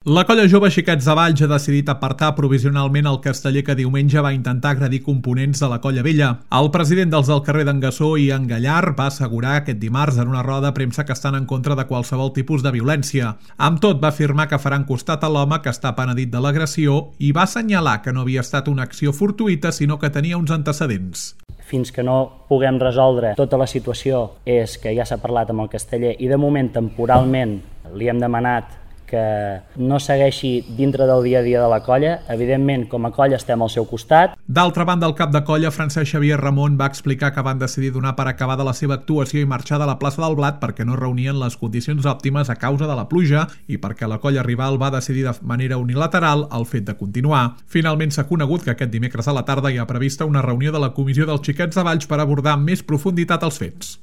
La colla jove Xiquets de Valls ha decidit apartar provisionalment el casteller que diumenge va intentar agredir components de la colla vella. El president dels del carrer d'en Gassó i en Gallar va assegurar aquest dimarts en una roda de premsa que estan en contra de qualsevol tipus de violència. Amb tot, va afirmar que faran costat a l'home que està penedit de l'agressió i va assenyalar que no havia estat una acció fortuïta, sinó que tenia uns antecedents. Fins que no puguem resoldre tota la situació és que ja s'ha parlat amb el casteller i de moment temporalment li hem demanat que no segueixi dintre del dia a dia de la colla. Evidentment, com a colla estem al seu costat. D'altra banda, el cap de colla, Francesc Xavier Ramon, va explicar que van decidir donar per acabada la seva actuació i marxar de la plaça del Blat perquè no reunien les condicions òptimes a causa de la pluja i perquè la colla rival va decidir de manera unilateral el fet de continuar. Finalment s'ha conegut que aquest dimecres a la tarda hi ha prevista una reunió de la Comissió dels Xiquets de Valls per abordar amb més profunditat els fets.